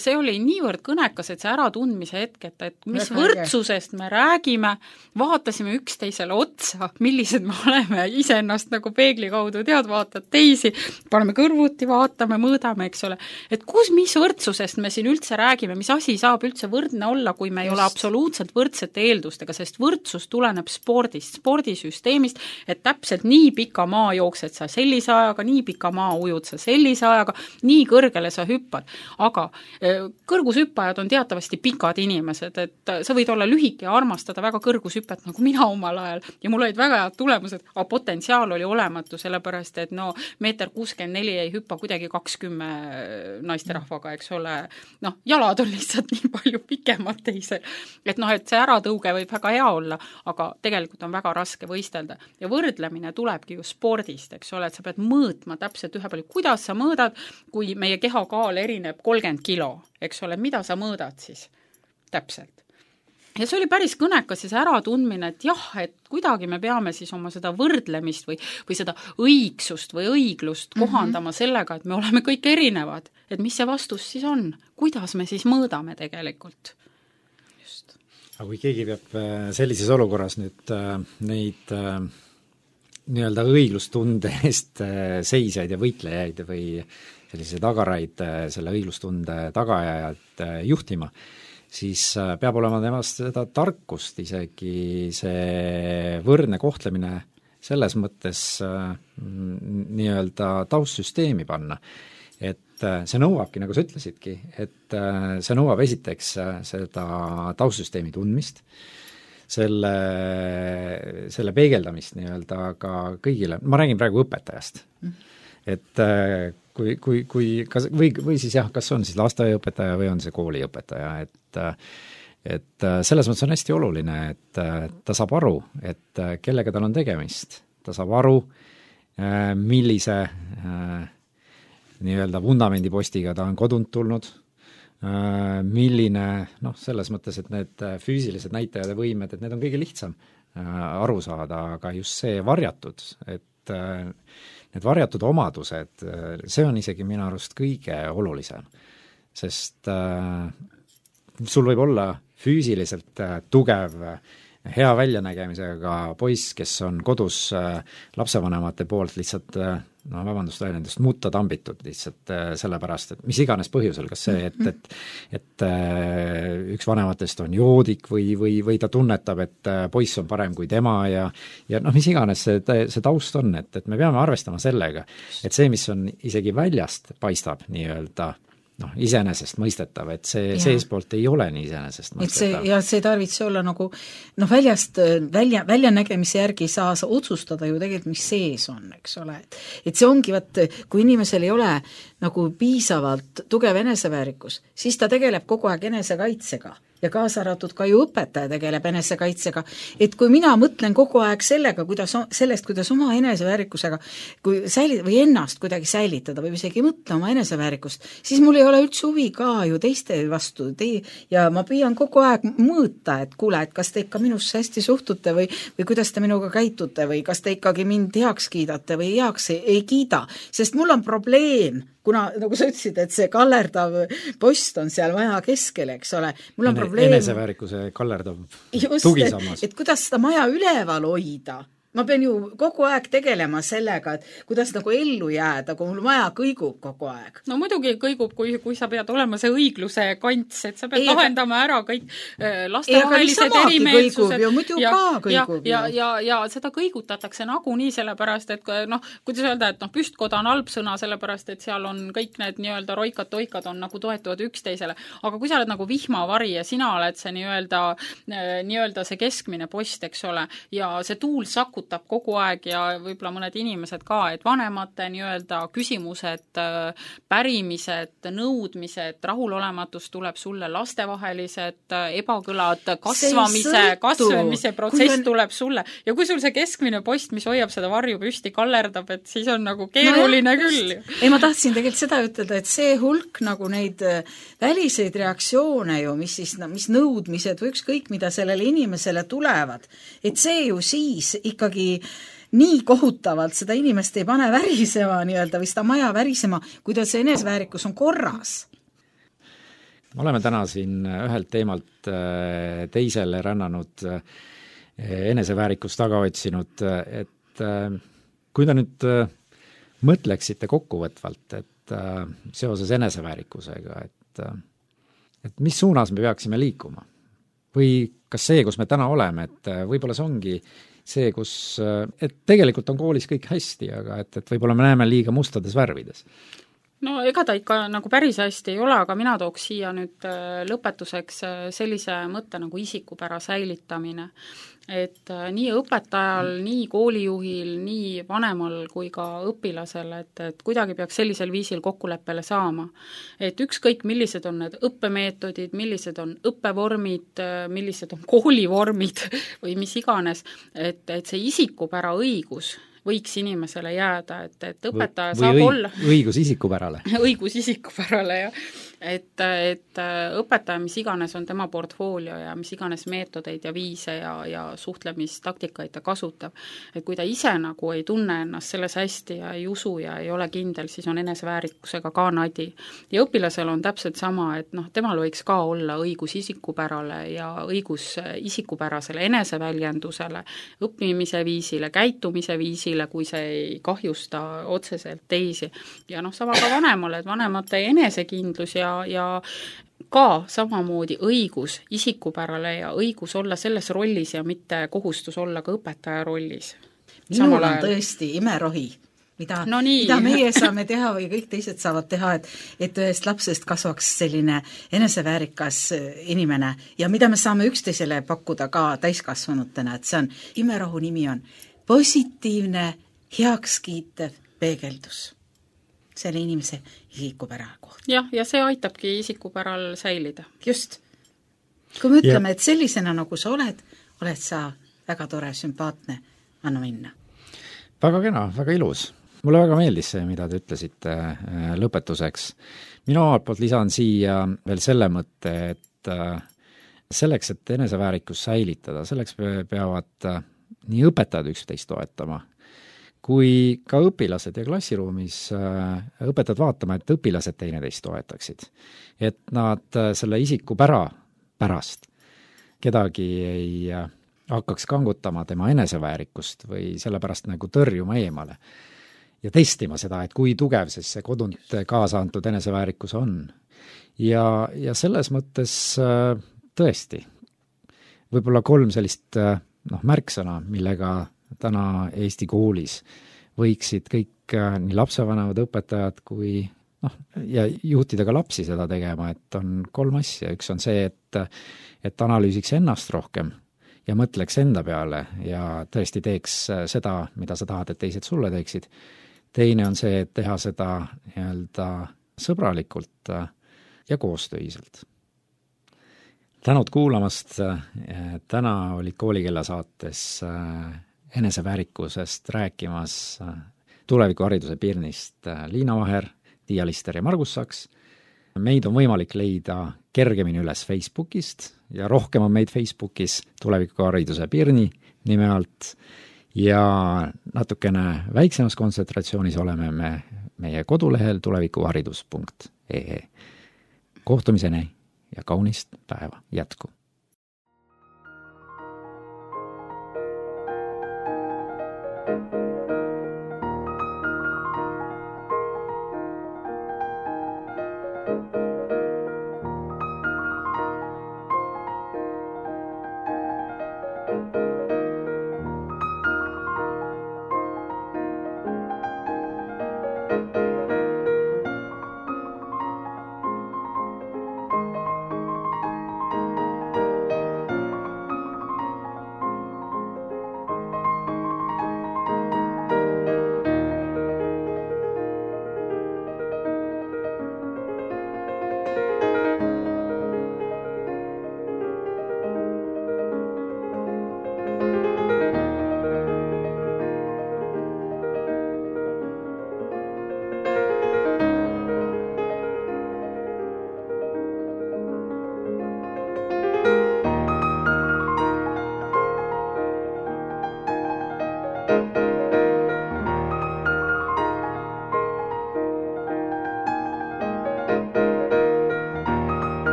see oli niivõrd kõnekas, et see äratundmise hetk, et mis võrdsusest me räägime, vaatasime üksteisele otsa, millised me oleme iseennast nagu peegli kaudu vaatad teisi, paneme kõrvuti, vaatame, mõõdame, eks ole, et mis võrdsusest me siin üldse räägime, mis asi saab üldse võrdne olla, kui me ei ole absoluutselt võrdsete eeldustega, sest võrdsus tuleneb spordist, spordisüsteemist, et täpselt nii pika maa jooksed sa sellise ajaga, nii pika maa ujud sa sellise ajaga, nii kõrgele sa hüppad. Aga kõrgushüppajad on teatavasti pikad inimesed, et sa võid olla lühike ja armastada väga kõrgushüpet, nagu mina omal ajal, ja mul olid väga head tulemused, aga potentsiaal oli olematu, sellepärast et no 1,64 m ei hüppa kuidagi 20 naisterahvaga, eks ole, noh, jalad on lihtsalt nii palju pikemad teisel, et noh, et see äratõuge võib väga hea olla, aga tegelikult on väga raske võistelda ja võrdlemine tulebki ju spordist, eks ole, et sa pead mõõtma täpselt ühe palju, kuidas sa mõõdad, kui meie kehakaal erineb 30 kilo, eks ole, mida sa mõõdad siis täpselt. Ja see oli päris kõnekas ja see äratundmine, et jah, et kuidagi me peame siis oma seda võrdlemist või seda õigsust või õiglust kohandama sellega, et me oleme kõik erinevad, et mis see vastus siis on, kuidas me siis mõõdame tegelikult. Just. Aga kui keegi peab sellises olukorras nüüd neid nii-öelda õiglustunde eest seisjaid ja võitlejaid või sellise tagaraid selle õiglustunde tagaajad juhtima, siis peab olema temast seda tarkust isegi see võrdne kohtlemine selles mõttes nii-öelda taustsüsteemi panna. Et see nõuabki, nagu sa ütlesidki, et see nõuab esiteks seda taustsüsteemi tundmist, selle peegeldamist nii-öelda ka kõigile, ma räägin praegu õpetajast, et või siis jah, kas on siis lasteaiaõpetaja või on see kooliõpetaja, et selles mõttes on hästi oluline, et ta saab aru, et kellega tal on tegemist, ta saab aru, millise nii-öelda vundamendipostiga ta on kodunt tulnud, milline, selles mõttes, et need füüsilised näitajad ja võimed, et need on kõige lihtsam aru saada, aga just see varjatud, et need varjatud omadused, see on isegi minu arust kõige olulisem, sest sul võib olla füüsiliselt tugev, hea väljanägemisega poiss, kes on kodus lapsevanemate poolt lihtsalt vabandust väljendust, mutta tambitud lihtsalt sellepärast, et mis iganes põhjusel, kas see, et üks vanematest on joodik või ta tunnetab, et poiss on parem kui tema ja mis iganes see taust on, et me peame arvestama sellega, et see, mis on isegi väljast paistab nii-öelda iseenesest mõistetav, et see seespoolt ei ole nii iseenesest mõistetav. See ei tarvitse olla nagu väljast, väljanägemise järgi saa otsustada ju tegelikult, mis sees on, eks ole. Et see ongi, kui inimesel ei ole nagu piisavalt tugev eneseväärikus, siis ta tegeleb kogu aeg enesekaitsega ja kaasa arvatud ka ju õpetaja tegeleb enesekaitsega, et kui mina mõtlen kogu aeg kuidas oma eneseväärikusega või ennast kuidagi säilitada või isegi mõtle oma eneseväärikust, siis mul ei ole üldse huvi ka ju teiste vastu ja ma püüan kogu aeg mõõta, et kuule, et kas te ikka minusse hästi suhtute või kuidas te minuga käitute või kas te ikkagi mind heaks kiidate või heaks ei kiida, sest mul on probleem, kuna, nagu sa ütlesid, et see kallerdav post on seal maja keskel, eks ole, mul on probleem eneseväärikuse kallerdav tugisammas. Et kuidas seda maja üleval hoida, ma pean ju kogu aeg tegelema sellega, et kuidas nagu ellu jääda, kui mul maja kõigub kogu aeg. No muidugi kõigub, kui sa pead olema see õigluse kants, et sa pead lahendama ära kõik lastevahelised erimeelsused. Ja seda kõigutatakse nagunii sellepärast, et kuidas öelda, et püstkoda on halb sõna sellepärast, et seal on kõik need nii-öelda roikad-toikad on nagu toetuvad üksteisele. Aga kui sa oled nagu vihmavari ja sina oled see nii-öelda see keskmine post, eks ole, ja see tuul sakutab kogu aeg ja võib-olla mõned inimesed ka, et vanemate nii-öelda küsimused, pärimised, nõudmised, rahulolematus tuleb sulle, lastevahelised ebakõlad, kasvamise protsess tuleb sulle ja kui sul see keskmine post, mis hoiab seda varju püsti, kallerdab, et siis on nagu keeruline küll. Ei, ma tahtsin tegelikult seda ütelda, et see hulk nagu neid väliseid reaktsioone ju, mis nõudmised või ükskõik, mida sellele inimesele tulevad, et see ju siis ikkagi nii kohutavalt seda inimest ei pane värisema nii-öelda või seda maja värisema, kui ta see eneseväärikus on korras. Me oleme täna siin ühelt teemalt teisele rännanud, eneseväärikust taga otsinud, et kui te nüüd mõtleksite kokkuvõtvalt, et seoses eneseväärikusega, et mis suunas me peaksime liikuma? Või kas see, kus me täna oleme, et võib-olla see ongi see, et tegelikult on koolis kõik hästi, aga et võib-olla me näeme liiga mustades värvides? No ega ta ikka nagu päris hästi ei ole, aga mina tooks siia nüüd lõpetuseks sellise mõtte nagu isikupära säilitamine. Et nii õpetajal, nii koolijuhil, nii vanemal kui ka õpilasel, et kuidagi peaks sellisel viisil kokkuleppele saama. Et ükskõik, millised on need õppemeetodid, millised on õppevormid, millised on koolivormid või mis iganes, et see isikupära õigus võiks inimesele jääda, et õpetaja saab olla õigus isikupärale. õigus isikupärale, jah. Et õpetaja, mis iganes on tema portfoolio ja mis iganes meetodeid ja viise ja suhtlemistaktikaid ta kasutab, et kui ta ise nagu ei tunne ennast selles hästi ja ei usu ja ei ole kindel, siis on eneseväärikusega ka nadi. Ja õpilasel on täpselt sama, et temal võiks ka olla õigus isikupärale ja õigus isikupärasele eneseväljendusele, õppimise viisile, käitumise viisile, kui see ei kahjusta otseselt teisi. Ja sama ka vanemale, et vanemate enesekindlus ja ka samamoodi õigus isikupärale ja õigus olla selles rollis ja mitte kohustus olla ka õpetaja rollis. Minul on tõesti imerohi, mida meie saame teha või kõik teised saavad teha, et ühest lapsest kasvaks selline eneseväärikas inimene ja mida me saame üksteisele pakkuda ka täiskasvanutena, et see on, imerahu nimi on positiivne, heakskiitev peegeldus selle inimese isikupära kohta. jah, ja see aitabki isikupäral säilida. Just. Kui me ütleme, et sellisena nagu sa oled sa väga tore, sümpaatne, anna minna. Väga kena, väga ilus. Mulle väga meeldis see, mida te ütlesite lõpetuseks. Minu omalt poolt lisan siia veel selle mõtte, et selleks, et eneseväärikus säilitada, selleks peavad nii õpetajad üksteist toetama, kui ka õpilased ja klassiruumis õpetajad vaatama, et õpilased teineteist toetaksid. Et nad selle isikupära pärast kedagi ei hakkaks kangutama tema eneseväärikust või sellepärast nagu tõrjuma eemale. Ja testima seda, et kui tugev see kodunt kaasa antud eneseväärikus on. Ja selles mõttes tõesti, võib-olla 3 sellist märksõna, millega täna Eesti koolis võiksid kõik nii lapsevanemad, õpetajad kui ja juhtida ka lapsi seda tegema, et on 3 asja. Üks on see, et analüüsiks ennast rohkem ja mõtleks enda peale ja tõesti teeks seda, mida sa tahad, et teised sulle teeksid. Teine on see, et teha seda nii-öelda sõbralikult ja koostöiselt. Tänud kuulamast. Täna olid Koolikella saates eneseväärikusest rääkimas tulevikuhariduse Pirnist Liina Vaher, Tiia Lister ja Margus Saks. Meid on võimalik leida kergemini üles Facebookist ja rohkem on meid Facebookis tulevikuhariduse Pirni nime alt ja natukene väiksemas kontsentratsioonis oleme me meie kodulehel tulevikuharidus.ee. Kohtumiseni ja kaunist päeva jätku!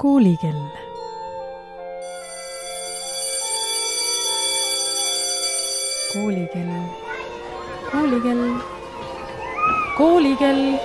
Koolikell. Koolikell. Koolikell. Koolikell.